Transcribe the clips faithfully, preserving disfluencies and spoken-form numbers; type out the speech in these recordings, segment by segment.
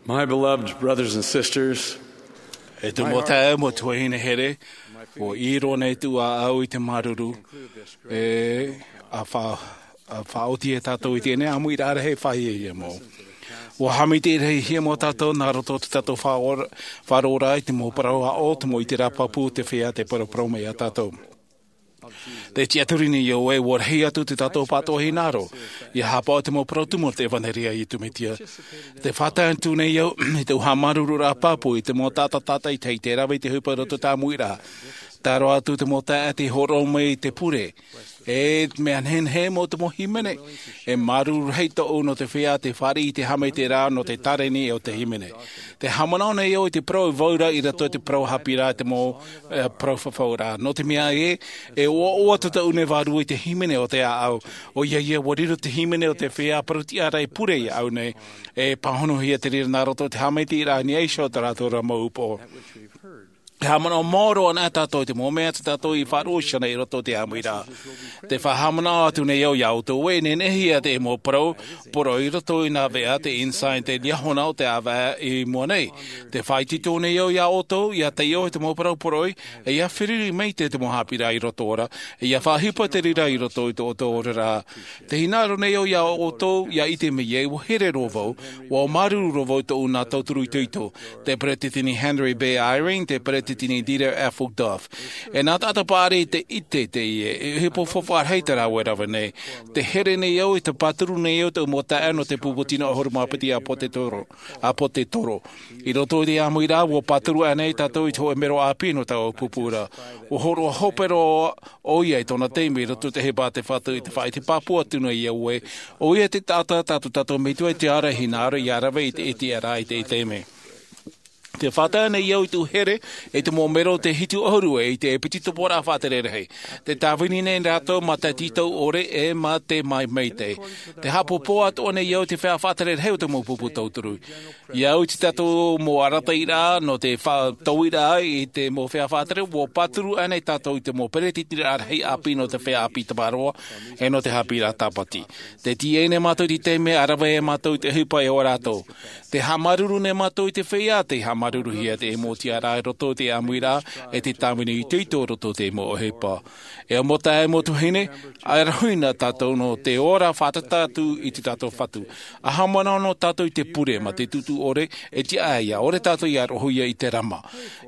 My beloved brothers and sisters, e te mau taeaʻe, mau tuahine here, ua ʻī roa nei tōʻu ʻāʻau i te māuruuru, e, a fa-, a faʻaoti e tātou i teie nei ʻāmuiraʻa rahi e fāʻi ia mau. Ua haʻamaitaʻi rahi hia mau tātou nā roto i te tātou faʻaora-, faʻaroʻo i te mau parau aʻo, te mau ʻiteraʻa pāpū, te feiā tei paraparau mai ia tātou. Te tiʻaturi nei au ē, ua rahi atu te tātou pātoʻi hinaʻaro, ʻia haʻapaʻo i te mau parau tumu o te ʻevanelia a Iesu Mesia. Te faʻatae atu nei au, i te haʻamāuruururaʻa pāpū, i te mau taʻata tātaʻitahi, tei rave i te ʻohipa i roto i te ʻāmuiraʻa. Tae roa atu te mau taeaʻe tei hōroʻa mai i te pure. E mea nehenehe mau te mau hīmene. E māuruuru rahi tōʻu nō te feiā tei fāriʻi i te haʻamaitaʻiraʻa nō te tāreni o te hīmene. Te haʻamanaʻo nei au i te parau e vauraʻa i roto i te parau haʻapiʻiraʻa i te mau, e, parau fafauraʻa. Nō te mea ē, e ʻoaʻoa tōʻu nei vārua i te hīmene o te ʻāʻau. ʻOia ia, ua riro te hīmene o te feiā parau tiʻa ra e pure iāʻu nei. E pāhonohia te reira nā roto i te haʻamaitaʻiraʻa a Iaso i tā rātou ra mau upoʻo. E haʻamanaʻo maoro ana tātou i te mau mea tā tātou i faʻaroʻo iho nei i roto i te ʻāmuiraʻa. Te faʻahaʻamanaʻo atu nei au iā ʻoutou ē, e nehenehe ia te mau parau poroʻi i roto i nā veʻa, te Ensign, te Liahona o te ʻāvaʻe i mua nei. Te faʻaitoito nei au iā ʻoutou, ʻia taiʻo i te mau parau poroʻi, e ʻia feruri maitaʻi te mau haʻapiʻiraʻa i roto ra, e ʻia faʻaʻohipa te reira i roto i tō ʻoutou oraraʻa. Te hinaʻaro nei au iā ʻoutou, ʻia ʻite mai ē, ua here roa vau, ua māuruuru roa vau i tōʻu nā tauturu itoito, te Peresideni Henry B. Eyring, te Peresideni Dieter F. Uchtdorf. E nā taʻata paʻari tei ʻite teie, e ʻohipa faufaʻa rahi tā rāua e rave nei. Te here nei au, e te pāturu nei au, tōʻu mau taeaʻe nō te pupu tino ʻahuru mā piti ʻāpōsetolo, ʻāpōsetolo. I roto i te ʻāmuiraʻa, ua pāturu aʻenei tātou i te hōʻē mero ʻāpī nō taua pupu ra. Ua hōroʻa hope roa ʻoia i tōna taime i roto i te ʻohipa a te Fatu i te faʻaʻite pāpū atu nei au ē, ʻoia te taʻata tā tō tātou Metua i te ara hinaʻaro ʻia rave i te ʻiteraʻa i te taime. Te faʻatae nei au i tōʻu here, e te mau mero tei hitu ʻahuru e ʻite e piti tupuʻaraʻa faʻatere rahi. Te tāvini nei rātou mā te tītau ʻore e mā te maitaʻi. Te haʻapōpō atoʻa nei au i te feiā faʻatere rahi o te mau pupu tauturu. Ia au i te tātou mau arataʻiraʻa nō te faʻatauiraʻa i te mau feiā faʻatere, ua pāturu aʻenei tātou i te mau peretiteniraʻa rahi ʻāpī nō te feiā ʻāpī Tamaroa, e nō te haʻapiʻiraʻa Tāpati. Te tīaʻi nei mātou i te taime, ʻa rave ai mātou i te ʻohipa e ʻo rātou. Te haʻamāuruuru nei mātou i te feiā, tei haʻamāuruuruhia te mau tiʻaraʻa i roto i te ʻāmuiraʻa, e te tāvini itoito i roto i te mau ʻohipa. E mau taeaʻe, mau tuahine, ʻa e rahi na tātou nō te ora fātata atu i tō tātou Fatu. ʻA haʻamanaʻo noa tātou i te pure mā te tūtū ʻore, e tiʻa ʻia ʻore tātou ʻia roʻohia i te rama.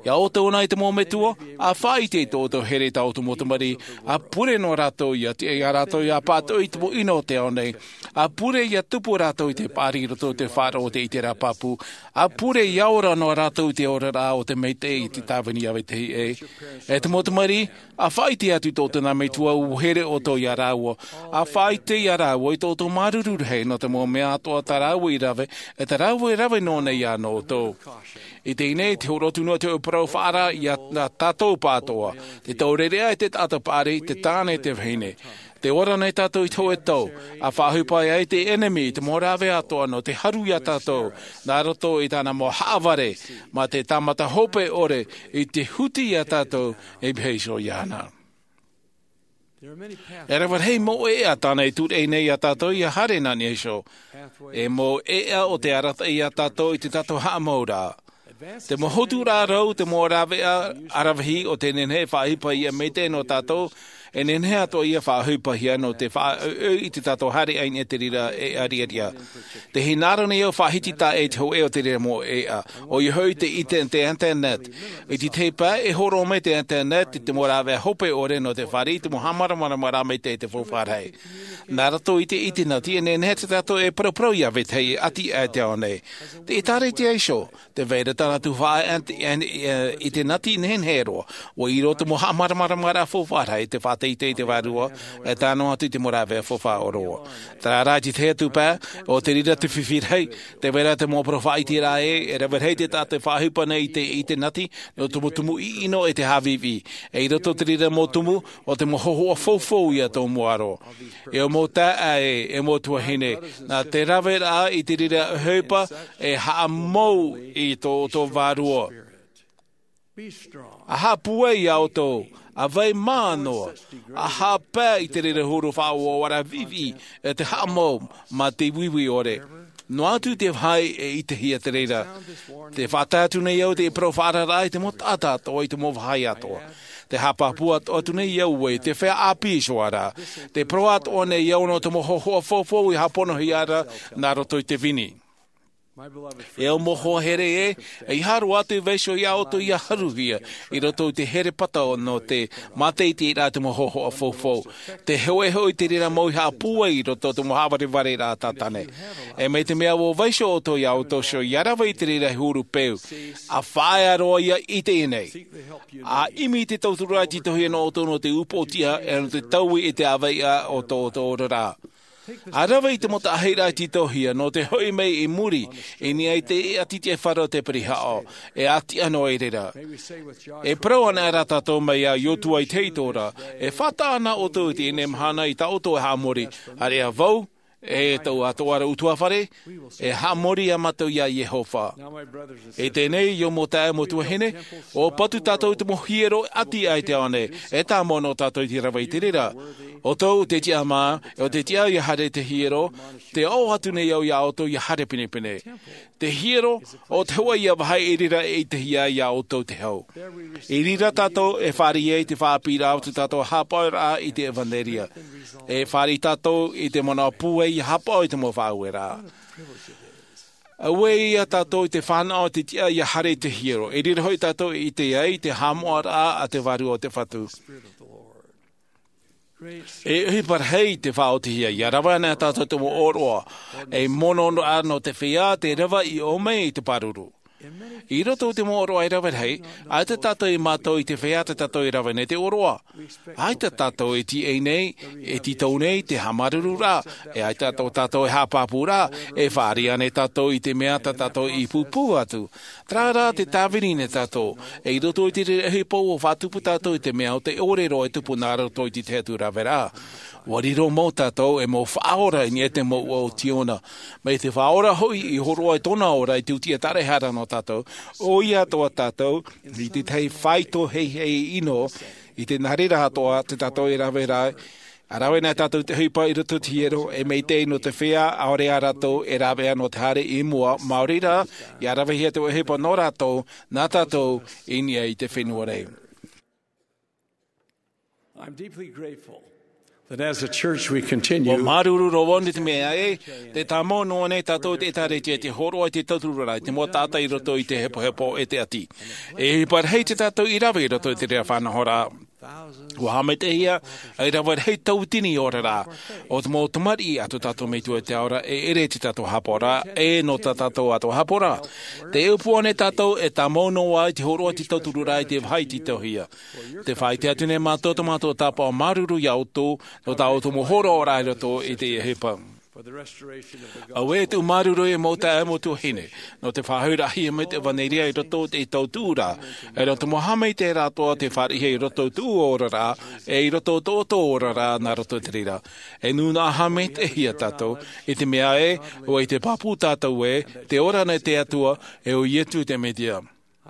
Ia ʻoutou na i te mau metua, ʻa faʻaʻite i tō ʻoutou here, tā ʻoutou mau tamariʻi, ʻa pure noa rātou, ʻia tiʻa ia rātou ʻia pātoʻi i te mau ʻino o te ao nei. ʻA pure ʻia tupu rātou i te paʻari i roto i te faʻaroʻo o te ʻiteraʻa pāpū. ʻA pure ʻia ora noa rātou i te oraraʻa o te maitaʻi i te tāvini ʻāvaitahi ē. E te mau tamariʻi, ʻa faʻaʻite atu i tō ʻoutou nā metua ʻua here ʻoutou ia rāua. ʻA faʻaʻite ia rāua i tō ʻoutou māuruuru rahi nō te mau mea atoʻa tā rāua i rave, e tā rāua e rave noa nei ia nō ʻoutou. I teie nei, te hōroʻa atu noa te hōʻē parau faʻaara ia tātou pāʻatoʻa. Te taureʻareʻa e te taʻata paʻari, te tāne e te vahine. Tē ora nei tātou i te hōʻē tau, ʻa faʻaʻohipa ai te ʻenemi i te mau rāveʻa atoʻa nō te haru ia tātou, nā roto i tāna mau haʻavare, mā te tāmata hope ʻore i te huti ia tātou e mihi iho iāna. E rave rahi mau ʻēʻa tāna e tūreʻi nei ia tātou ʻia haere nā niʻa iho. E mau ʻēʻa o te arataʻi ia tātou i tō tātou haʻamauraʻa. Te mau hoturaʻa rau, te mau rāveʻa aravihi o te nehenehe e faʻaʻohipahia maitaʻi nō tātou, e nehenehe atoʻa ia faʻaʻohipahia nō te faʻaʻoiʻoi i tō tātou haere i niʻa i te reira ʻēʻa riʻariʻa. Te hinaʻaro nei au faʻahiti taʻa ʻē i te hōʻē o te reira mau ʻēʻa. ʻOia hoʻi te ite-, te internet. I te tahi pae, e hōroʻa mai te internet i te mau rāveʻa hope ʻore nō te fāriʻi i te mau haʻamāramaramaraʻa maitaʻi i te faufaʻa rahi. Nā roto i te ʻitenati, e nehenehe tātou e paraparau ia vetahi e ʻati aʻe i te ao nei. Te ʻĒtārētia iho, tē vai ra tāna tuhaʻa ʻe-, ʻe-, ʻitenati nehenehe roa. ʻUa ʻī roa te mau haʻamāramaramaraʻa faufaʻa rahi, te faʻateitei i te vārua, e tae noa atu i te mau rāveʻa faufaʻa ʻōroʻa. Terā rā, i te tahi atu pae, ʻo te reira te fifi rahi, tē vai ra te mau parau faʻaʻiteraʻa ē, e rave rahi te taʻata e faʻaʻohipa nei i te, i te ʻitenati, nō te mau tumu ʻiʻino e te haʻavīvī. E i roto i te reira mau tumu, ʻo te mau hōhoʻa faufaʻa ia tō mua roa. E mau taeaʻe, e mau tuahine, nā te raveraʻa i te reira ʻohipa, e haʻamou i tō, tō vārua. ʻA haʻapūai ia ʻoutou, ʻa vai mā noa, ʻa haʻapae i te reira huru faʻaʻoaʻoaraʻa vīvī, e te haʻamou mā te uiui ʻore. Noa atu te vāhi e ʻitehia te reira. Te faʻatae atu nei au te parau faʻaararaʻa i te mau taʻata atoʻa, i te mau vāhi atoʻa. Te haʻapāpū atu nei au e te feiā ʻāpī Ihowa ra. Te parau atoʻa nei au nō te mau hōhoʻa faufaʻa i hāponohia ra nā roto i te vini. E au mau hoa here ē, ʻeiaha roa atu e vaiiho ia ʻoutou ia haruhia i roto i te herepata nō te mātaʻitaʻiraʻa te mau hōhoʻa faufaʻa. Te hoʻē hoʻi te reira mau i haʻapūai i roto i te mau haʻavarevare rā tātane. E mai te mea ʻua vaiiho ʻoutou ia ʻoutou iho, ia rave i te reira e huru peu. ʻA faʻaea roa ia i teie nei. ʻA ʻimi i te tauturu rā i te tauhia nō ʻoutou nō te upoʻotiʻa, e nō te taui e te ʻāveiʻa o tō ʻoutou oraraʻa. ʻA rave i te mau taʻahiraʻa i te tauhia nō te hoʻi mai i muri, i niʻa i te ʻati te faro o te pirihaʻo, e ʻati anō i reira. E parau ana rā tātou mai iā Iosua i te heitōra, e faʻataʻa ana ʻoutou i teie mahana i tā ʻoutou e haʻamori, ʻāreʻa vau, e tōʻu atoʻa ra ʻutuāfare, e haʻamori ā mātou iā Iehova. I teie nei, ʻo mau taeaʻe, mau tuahine, ʻua patu tātou i te mau hiero ʻati aʻe i te ao nei, e tāmau nō tātou i te rave i te reira. ʻOutou te tiʻa mā, ʻo te tiʻa ia haere te hiero, te aʻo atu nei au iā ʻoutou ia haere pinepine. Te hiero, ʻo te hōʻē ia vāhi i reira e ʻitehia ai iā ʻoutou te hau. I reira tātou e fāriʻi ai te faʻaʻāpīraʻa o tō tātou haʻapaʻoraʻa i te ʻevanelia. E fāriʻi tātou i te manaʻo pūai ia haʻapaʻo i te mau faʻaueraʻa. Auē ia tātou i te fānaʻo i te tiʻa ia haere i te hiero. I reira hoʻi tātou e ʻite ai te haʻamoʻaraʻa a te Vārua o te Fatu. E ʻohipa rahi te faʻaotihia, ia rave ana tātou te mau ʻōroʻa, e mono noa nō te feiā te rave i ʻō mai i te pāruru. I roto i te mau ʻōroʻa e rave rahi, ʻaita tātou e mātau i te feiā tā tātou e rave nei te ʻōroʻa. ʻAita tātou e tīaʻi nei, e tītau nei te haʻamāuruururaʻa, e ʻaita tātou, tātou e haʻapāpū ra, e fāriʻi ānei tātou i te mea tā tātou i pūpū atu. Terā rā te tāvini nei tātou, e i roto i te reira ʻohipa ʻua faʻatupu tātou i te mea ʻo te ʻōrero e tupu nā roto i te tahi atu raveraʻa. ʻUa riro mau tātou ei mau faʻaora i niʻa i te mouʻa o Ziona. Mai te Faʻaora hoʻi i hōroʻa i tōna ora i te tiʻaturiraʻa nō tātou, ʻoia atoʻa tātou, i te tahi faito heihei ʻino, i te nā reira atoʻa tā tātou e rave ra, ʻa rave nei tātou te ʻohipa i roto i te hiero, e maitaʻi nō te feiā, ʻaore ā rātou e rāveʻa nō te haere i mua, maori rā, ia ravehia te ʻohipa nō rātou, nā tātou, i niʻa i te fenua nei. I'm deeply grateful that as a church we continue. ʻUa māuruuru roa vau i te mea ē, tē tāmau noa nei tātou i te ʻĒtārētia i te hōroʻa i te tauturu ra i te mau taʻata i roto i te hepohepo e te ʻati. E ʻohipa rahi tā tātou i rave i roto i te reira faʻanahoraʻa. ʻUa haʻamaitaʻihia ei rave rahi tauatini oraraʻa, ʻo te mau tamariʻi a tō tātou Metua i te ao ra, e ʻere i tō tātou haʻapaʻoraʻa, e nō tā tātou atoʻa haʻapaʻoraʻa. Tē ʻōpua nei tātou e tāmau noa i te hōroʻa i te tauturu ra i te vāhi tītauhia. Tē faʻaʻite atu nei mātou tō mātou tāpaʻo māuruuru iā ʻoutou, nō tā ʻoutou mau hōroʻaraʻa i roto i teie ʻohipa. Auē tōʻu māuruuru e mau taeaʻe, mau tuahine, nō te faʻahouraʻahia mai te ʻevanelia i roto i te tautuʻuraʻa, e nō te mau haʻamaitaʻiraʻa atoʻa tē fāriʻihia i roto i tōʻu oraraʻa, e i roto i tō ʻoutou oraraʻa nā roto i te reira. E nūnaʻa haʻamaitaʻihia tātou, i te mea ē, ʻua ʻite pāpū tātou ē, tē ora nei te Atua, e ʻo Ietu te Metia.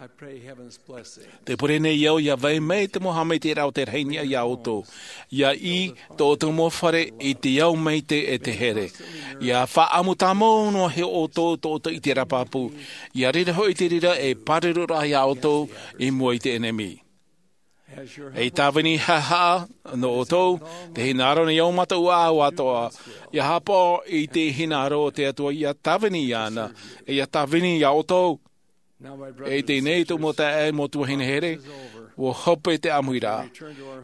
I pray heaven's blessing. Tē pure nei au ia vai mai te mau haʻamaitaʻiraʻa o te rahi niʻa iā ʻoutou. Ia ʻī tō ʻoutou mau fare i te ao maitaʻi e te here. Ia faʻaʻamu tāmau noa iho ʻoutou tō ʻoutou ʻiteraʻa pāpū. Ia riro hoʻi te reira ei pāruruʻraʻa iā ʻoutou i mua i te ʻenemi. Ei tāvini haʻahaʻa nō ʻoutou, tē hinaʻaro nei au mā tōʻu ʻāʻau atoʻa. Ia haʻapaʻo i te hinaʻaro o te Atua, ia tāvini iāna, e ia tāvini iā ʻoutou. E i teie nei tōʻu mau taeaʻe, mau tuahine here, ʻua hope te ʻāmuiraʻa.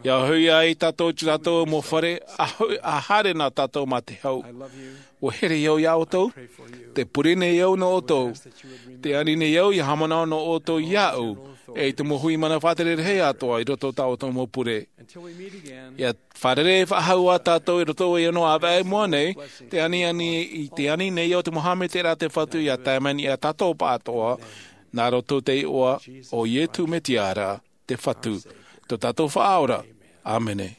Ia hoʻi ai tātou i tō tātou mau fare, ʻa ho-, ʻa haere na tātou mā te hau. ʻUa here au iā ʻoutou, tē pure nei au nō ʻoutou, tē ani nei au ia haʻamanaʻo nō ʻoutou iāʻu, e i te mau hui mana faʻatere rahi atoʻa i roto i tā ʻoutou mau pure. Ia fārerei faʻahou ā tātou i roto i ʻōna ʻāvaʻe i mua nei, tē ani, ani, tē ani nei au te mau haʻamaitaʻiraʻa a te Fatu ia tae mai iā tātou pāʻatoʻa, nā roto i te iʻoa o Ietu Metia ra, te Fatu, tō tātou Faʻaora. ʻĀmene.